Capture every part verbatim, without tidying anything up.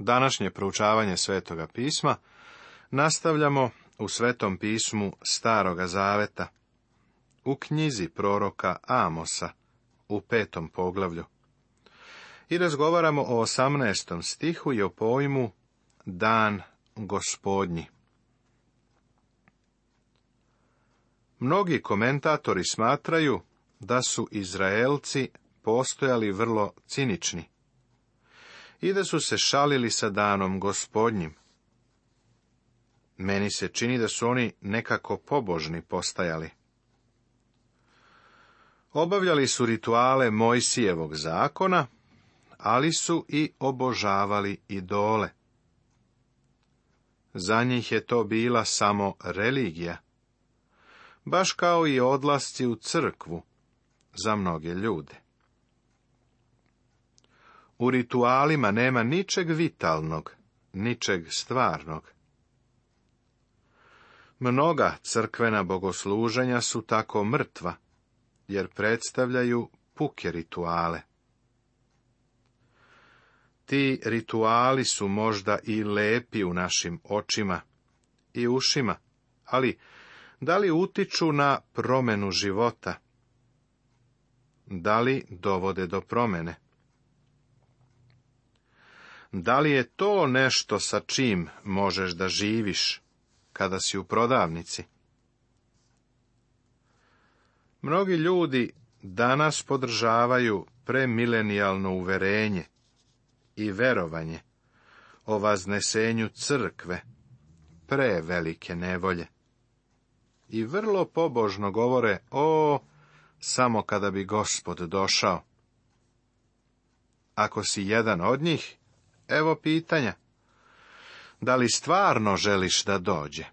Današnje proučavanje Svetoga pisma nastavljamo u Svetom pismu Staroga zaveta, u knjizi proroka Amosa, u petom poglavlju. I razgovaramo o osamnaestom stihu i o pojmu Dan Gospodnji. Mnogi komentatori smatraju da su Izraelci postojali vrlo cinični i da su se šalili sa Danom Gospodnjim. Meni se čini da su oni nekako pobožni postajali. Obavljali su rituale Mojsijevog zakona, ali su i obožavali idole. Za njih je to bila samo religija, baš kao i odlasci u crkvu za mnoge ljude. U ritualima nema ničeg vitalnog, ničeg stvarnog. Mnoga crkvena bogosluženja su tako mrtva, jer predstavljaju puke rituale. Ti rituali su možda i lepi u našim očima i ušima, ali da li utiču na promjenu života? Da li dovode do promjene? Da li je to nešto sa čim možeš da živiš kada si u prodavnici? Mnogi ljudi danas podržavaju premilenijalno uverenje i verovanje o vaznesenju crkve prevelike nevolje. I vrlo pobožno govore, o, samo kada bi Gospod došao. Ako si jedan od njih, evo pitanja. Da li stvarno želiš da dođe?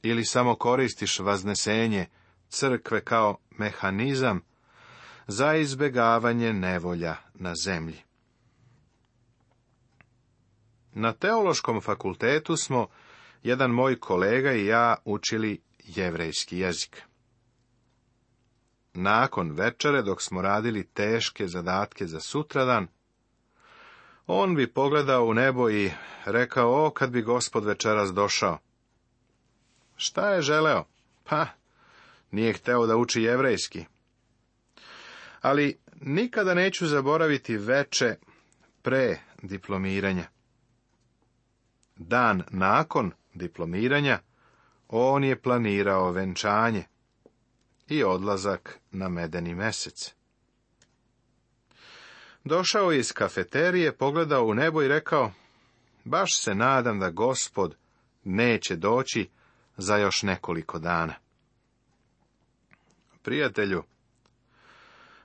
Ili samo koristiš vaznesenje crkve kao mehanizam za izbjegavanje nevolja na zemlji? Na teološkom fakultetu smo, jedan moj kolega i ja, učili jevrejski jezik. Nakon večere, dok smo radili teške zadatke za sutradan, on bi pogledao u nebo i rekao, o, kad bi Gospod večeras došao. Šta je želeo? Pa, nije hteo da uči jevrejski. Ali nikada neću zaboraviti veče pre diplomiranja. Dan nakon diplomiranja on je planirao venčanje i odlazak na medeni mesec. Došao je iz kafeterije, pogledao u nebo i rekao, baš se nadam da Gospod neće doći za još nekoliko dana. Prijatelju,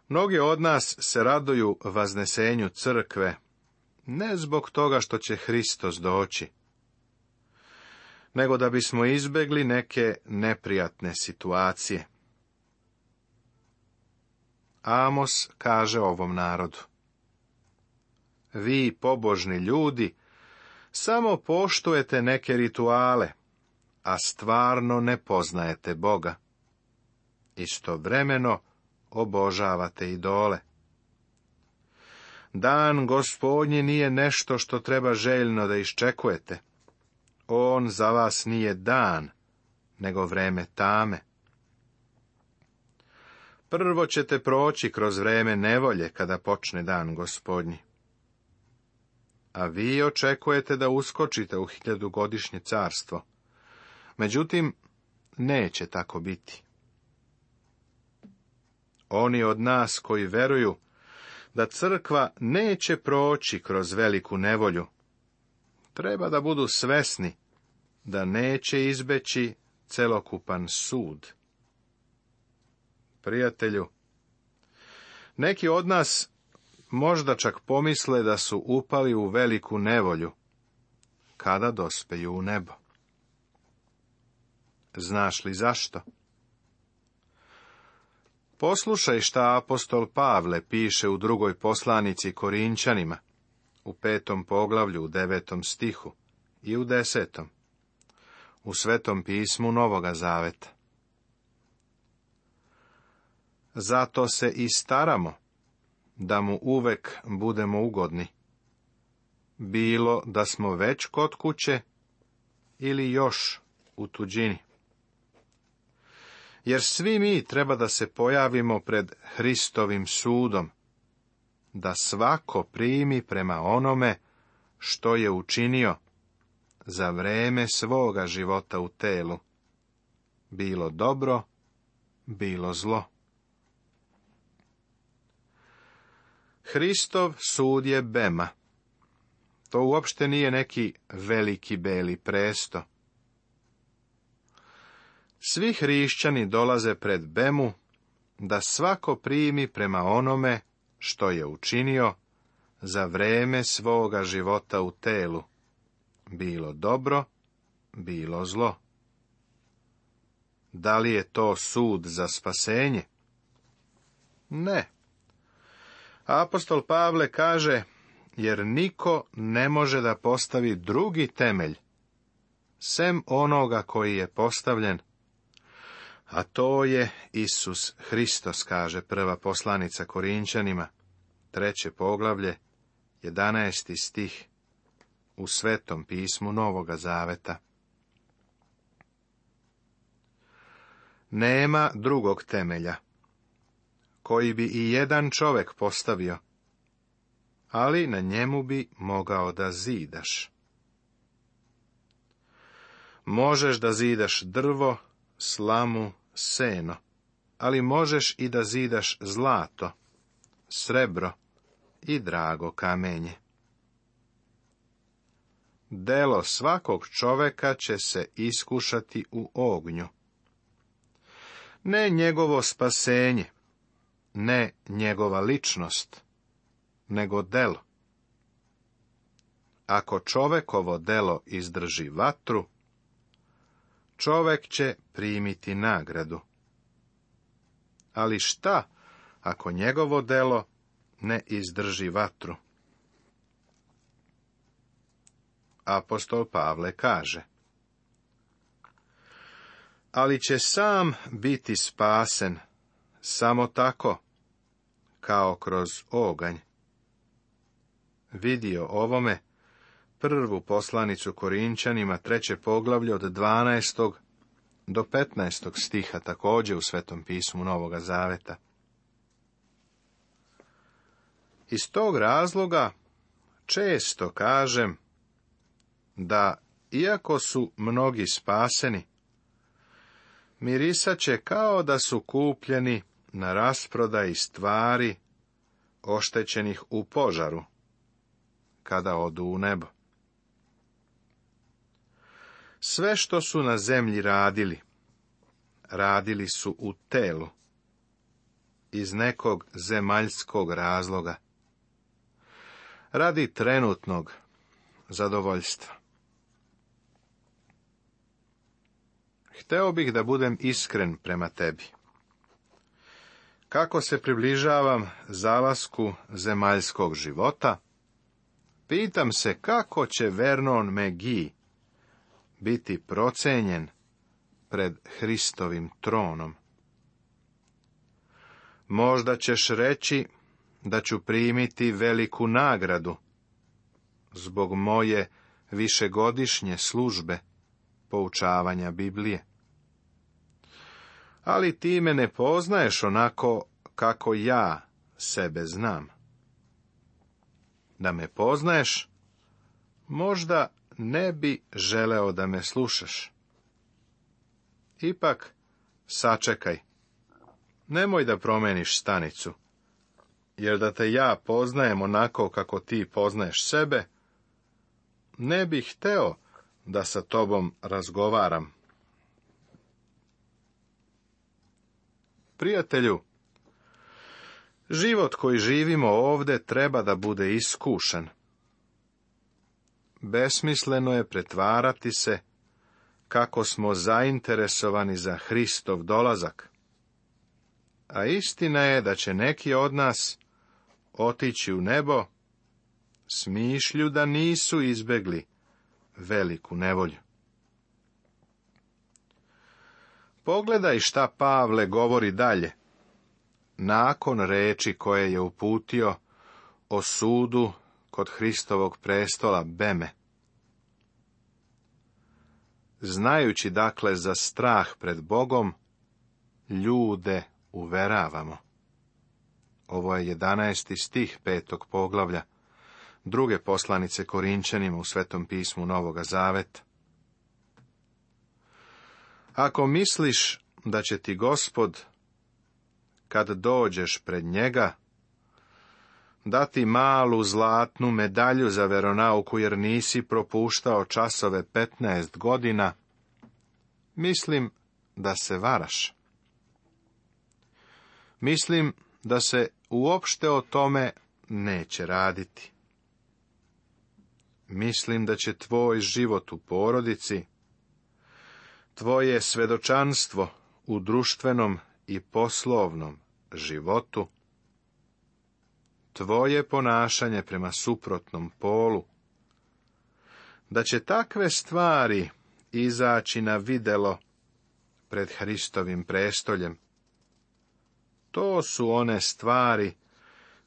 mnogi od nas se raduju vaznesenju crkve, ne zbog toga što će Hristos doći, nego da bismo izbjegli neke neprijatne situacije. Amos kaže ovom narodu, vi, pobožni ljudi, samo poštujete neke rituale, a stvarno ne poznajete Boga. Istovremeno obožavate idole. Dan Gospodnji nije nešto što treba željno da iščekujete. On za vas nije dan, nego vreme tame. Prvo ćete proći kroz vreme nevolje kada počne dan Gospodnji. A vi očekujete da uskočite u hiljadugodišnje carstvo. Međutim, neće tako biti. Oni od nas koji veruju da crkva neće proći kroz veliku nevolju, treba da budu svesni da neće izbeći celokupan sud. Prijatelju, neki od nas možda čak pomisle da su upali u veliku nevolju kada dospeju u nebo. Znaš li zašto? Poslušaj šta apostol Pavle piše u drugoj poslanici Korinčanima, u petom poglavlju, u devetom stihu i u desetom, u Svetom pismu Novoga Zaveta. Zato se i staramo, da mu uvek budemo ugodni. bilo da smo već kod kuće ili još u tuđini. Jer svi mi treba da se pojavimo pred Hristovim sudom, da svako primi prema onome što je učinio za vreme svoga života u telu, bilo dobro, bilo zlo. Hristov sud je bema. To uopšte nije neki veliki beli presto. Svi hrišćani dolaze pred bemu da svako primi prema onome što je učinio za vreme svoga života u telu, bilo dobro, bilo zlo. Da li je to sud za spasenje? Ne. Apostol Pavle kaže, jer niko ne može da postavi drugi temelj, sem onoga koji je postavljen, a to je Isus Hristos, kaže prva poslanica Korinčanima, treće poglavlje, jedanaesti stih, u Svetom pismu Novoga Zaveta. Nema drugog temelja, koji bi i jedan čovjek postavio, ali na njemu bi mogao da zidaš. Možeš da zidaš drvo, slamu, seno, ali možeš i da zidaš zlato, srebro i drago kamenje. Delo svakog čoveka će se iskušati u ognju. Ne njegovo spasenje, ne njegova ličnost, nego delo. Ako čovekovo delo izdrži vatru, čovek će primiti nagradu. Ali šta ako njegovo delo ne izdrži vatru? Apostol Pavle kaže, ali će sam biti spasen samo tako, kao kroz oganj. Vidio ovome prvu poslanicu Korinčanima, treće poglavlje od dvanaestog do petnaestog stiha, također u Svetom pismu Novoga Zaveta. Iz tog razloga često kažem da, iako su mnogi spaseni, mirisat će kao da su kupljeni na rasprodaji stvari oštećenih u požaru, kada odu u nebo. Sve što su na zemlji radili, radili su u telu, iz nekog zemaljskog razloga, radi trenutnog zadovoljstva. Hteo bih da budem iskren prema tebi. Kako se približavam zalasku zemaljskog života, pitam se kako će Vernon McGee biti procenjen pred Hristovim tronom. Možda ćeš reći da ću primiti veliku nagradu zbog moje višegodišnje službe poučavanja Biblije. Ali ti me ne poznaješ onako kako ja sebe znam. Da me poznaješ, možda ne bi želeo da me slušaš. Ipak, sačekaj. Nemoj da promeniš stanicu, jer da te ja poznajem onako kako ti poznaješ sebe, ne bih hteo da sa tobom razgovaram. Prijatelju, život koji živimo ovde treba da bude iskušan. Besmisleno je pretvarati se kako smo zainteresovani za Hristov dolazak. A istina je da će neki od nas otići u nebo s mišlju da nisu izbegli veliku nevolju. Pogledaj šta Pavle govori dalje, nakon reči koje je uputio o sudu kod Hristovog prestola beme. Znajući dakle za strah pred Bogom, ljude uveravamo. Ovo je jedanaesti stih petog poglavlja druge poslanice Korinčanima u Svetom pismu Novoga Zaveta. Ako misliš da će ti Gospod, kad dođeš pred njega, dati malu zlatnu medalju za veronauku jer nisi propuštao časove petnaest godina, mislim da se varaš. Mislim da se uopšte o tome neće raditi. Mislim da će tvoj život u porodici, tvoje svedočanstvo u društvenom i poslovnom životu, tvoje ponašanje prema suprotnom polu, da će takve stvari izaći na videlo pred Hristovim prestoljem. To su one stvari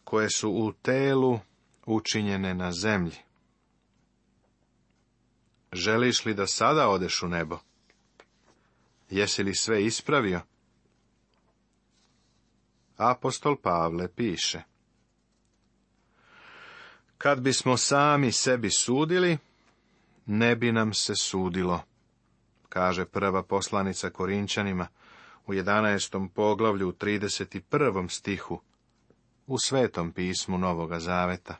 koje su u telu učinjene na zemlji. Želiš li da sada odeš u nebo? Jesi li sve ispravio? Apostol Pavle piše: kad bismo sami sebi sudili, ne bi nam se sudilo, kaže prva poslanica Korinčanima u jedanaestom poglavlju u trideset prvom stihu u Svetom pismu Novoga Zaveta.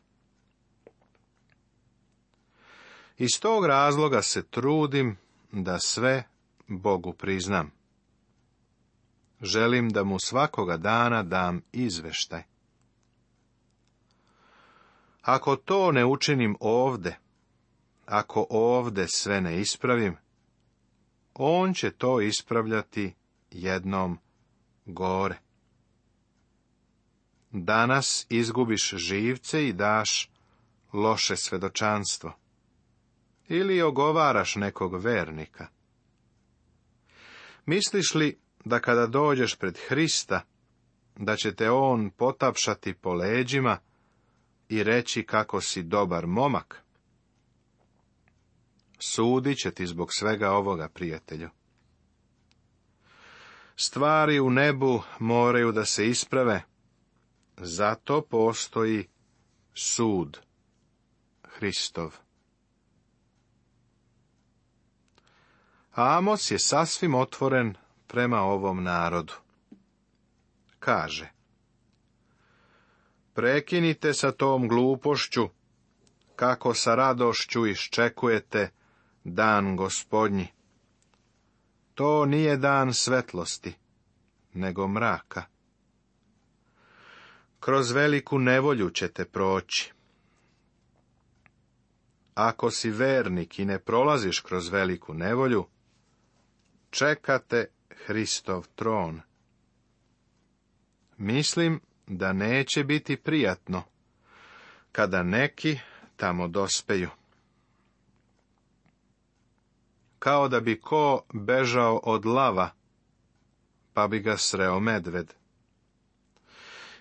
Iz tog razloga se trudim da sve Bogu priznam. Želim da mu svakoga dana dam izveštaj. Ako to ne učinim ovde, ako ovde sve ne ispravim, on će to ispravljati jednom gore. Danas izgubiš živce i daš loše svedočanstvo. Ili ogovaraš nekog vernika. Misliš li da kada dođeš pred Hrista, da će te on potapšati po leđima i reći kako si dobar momak? Sudit će ti zbog svega ovoga, prijatelju. Stvari u nebu moraju da se isprave, zato postoji sud Hristov. Amos je sasvim otvoren prema ovom narodu. Kaže: prekinite sa tom glupošću, kako sa radošću iščekujete dan Gospodnji. To nije dan svetlosti, nego mraka. Kroz veliku nevolju ćete proći. Ako si vernik i ne prolaziš kroz veliku nevolju, čekate Hristov tron. Mislim da neće biti prijatno kada neki tamo dospeju. Kao da bi ko bežao od lava, pa bi ga sreo medved.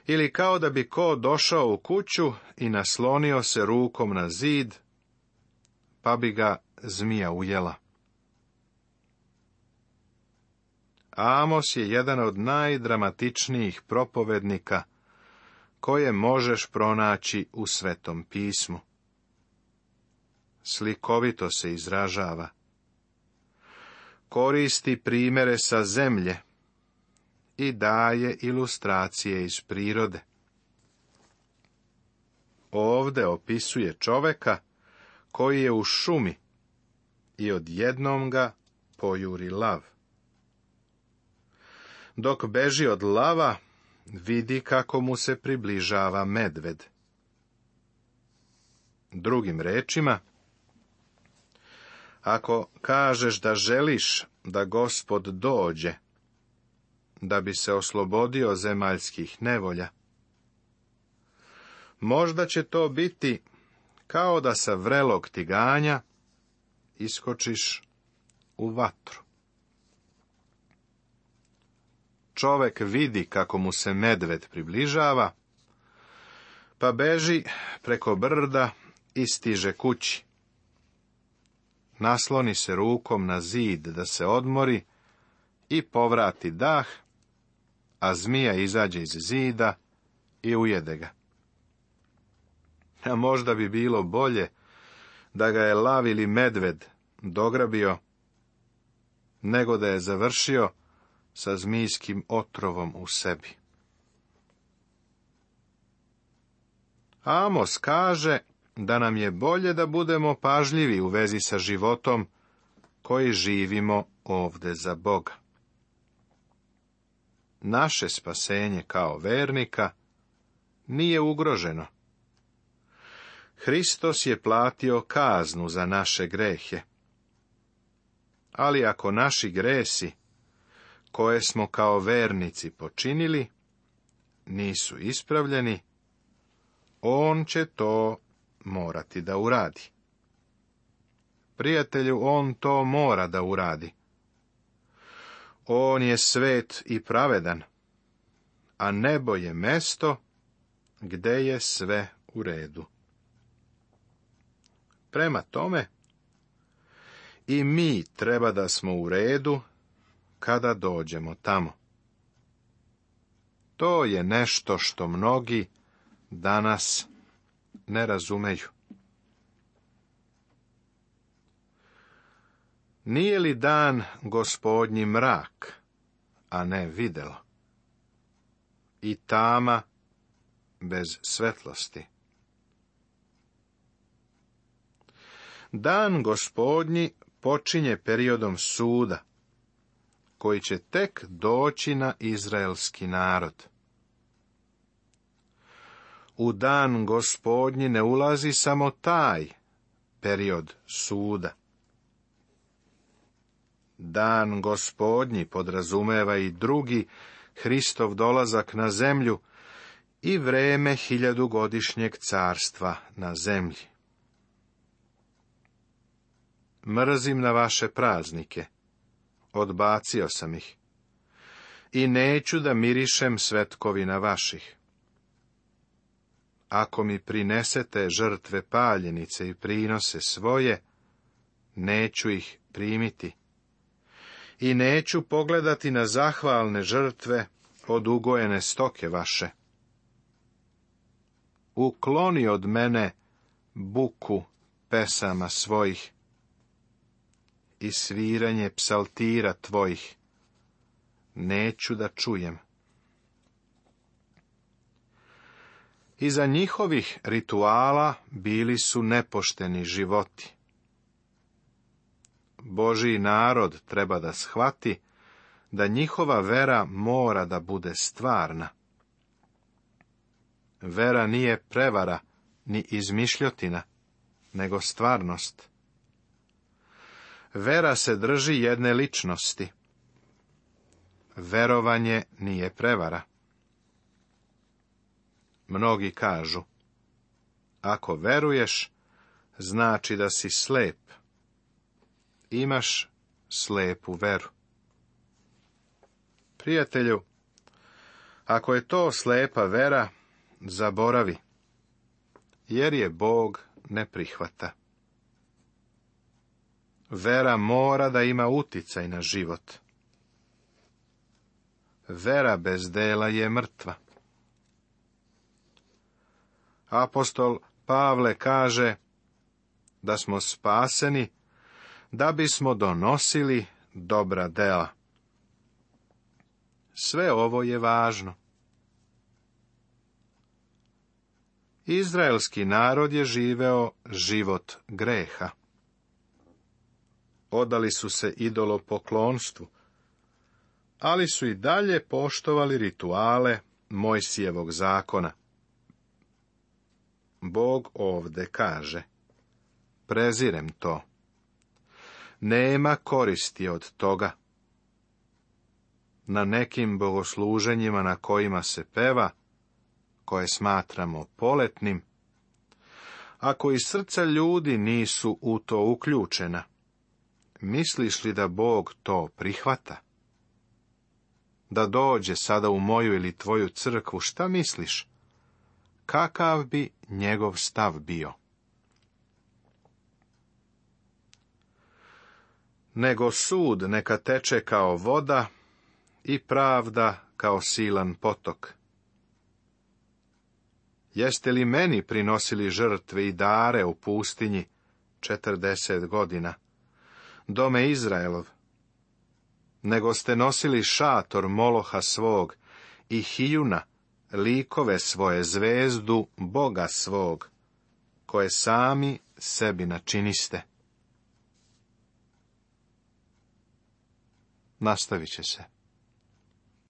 Ili kao da bi ko došao u kuću i naslonio se rukom na zid, pa bi ga zmija ujela. Amos je jedan od najdramatičnijih propovednika koje možeš pronaći u Svetom pismu. Slikovito se izražava. Koristi primjere sa zemlje i daje ilustracije iz prirode. Ovde opisuje čoveka koji je u šumi i odjednom ga pojuri lav. Dok beži od lava, vidi kako mu se približava medved. Drugim rečima, ako kažeš da želiš da Gospod dođe, da bi se oslobodio zemaljskih nevolja, možda će to biti kao da sa vrelog tiganja iskočiš u vatru. Čovek vidi kako mu se medved približava, pa beži preko brda i stiže kući. Nasloni se rukom na zid da se odmori i povrati dah, a zmija izađe iz zida i ujede ga. A možda bi bilo bolje da ga je lav ili medved dograbio, nego da je završio sa zmijskim otrovom u sebi. Amos kaže da nam je bolje da budemo pažljivi u vezi sa životom koji živimo ovde za Boga. Naše spasenje kao vernika nije ugroženo. Hristos je platio kaznu za naše grehe. Ali ako naši gresi, koje smo kao vernici počinili, nisu ispravljeni, on će to morati da uradi. Prijatelju, on to mora da uradi. On je svet i pravedan, a nebo je mesto gde je sve u redu. Prema tome, i mi treba da smo u redu kada dođemo tamo. To je nešto što mnogi danas ne razumeju. Nije li dan Gospodnji mrak, a ne videlo, i tama bez svetlosti? Dan Gospodnji počinje periodom suda, koji će tek doći na izraelski narod. U dan Gospodnji ne ulazi samo taj period suda. Dan Gospodnji podrazumeva i drugi Hristov dolazak na zemlju i vreme hiljadugodišnjeg carstva na zemlji. Mrzim na vaše praznike, odbacio sam ih, i neću da mirišem svetkovina vaših. Ako mi prinesete žrtve paljenice i prinose svoje, neću ih primiti. I neću pogledati na zahvalne žrtve od ugojene stoke vaše. Ukloni od mene buku pesama svojih i sviranje psaltira tvojih. Neću da čujem. Iza njihovih rituala bili su nepošteni životi. Božji narod treba da shvati da njihova vera mora da bude stvarna. Vera nije prevara ni izmišljotina, nego stvarnost. Vera se drži jedne ličnosti. Verovanje nije prevara. Mnogi kažu, ako veruješ, znači da si slep. Imaš slepu veru. Prijatelju, ako je to slepa vera, zaboravi, jer je Bog ne prihvata. Vera mora da ima uticaj na život. Vera bez dela je mrtva. Apostol Pavle kaže da smo spaseni da bismo donosili dobra dela. Sve ovo je važno. Izraelski narod je živeo život greha. Odali su se idolopoklonstvu, ali su i dalje poštovali rituale Mojsijevog zakona. Bog ovde kaže, prezirem to. Nema koristi od toga. Na nekim bogosluženjima na kojima se peva, koje smatramo poletnim, ako i srca ljudi nisu u to uključena, misliš li da Bog to prihvata? Da dođe sada u moju ili tvoju crkvu, šta misliš? kakav bi njegov stav bio. Nego sud neka teče kao voda i pravda kao silan potok. Jeste li meni prinosili žrtve i dare u pustinji četrdeset godina, dome Izraelov? Nego ste nosili šator Moloha svog i Hijuna, likove svoje, zvezdu Boga svog, koje sami sebi načiniste. Nastavit će se.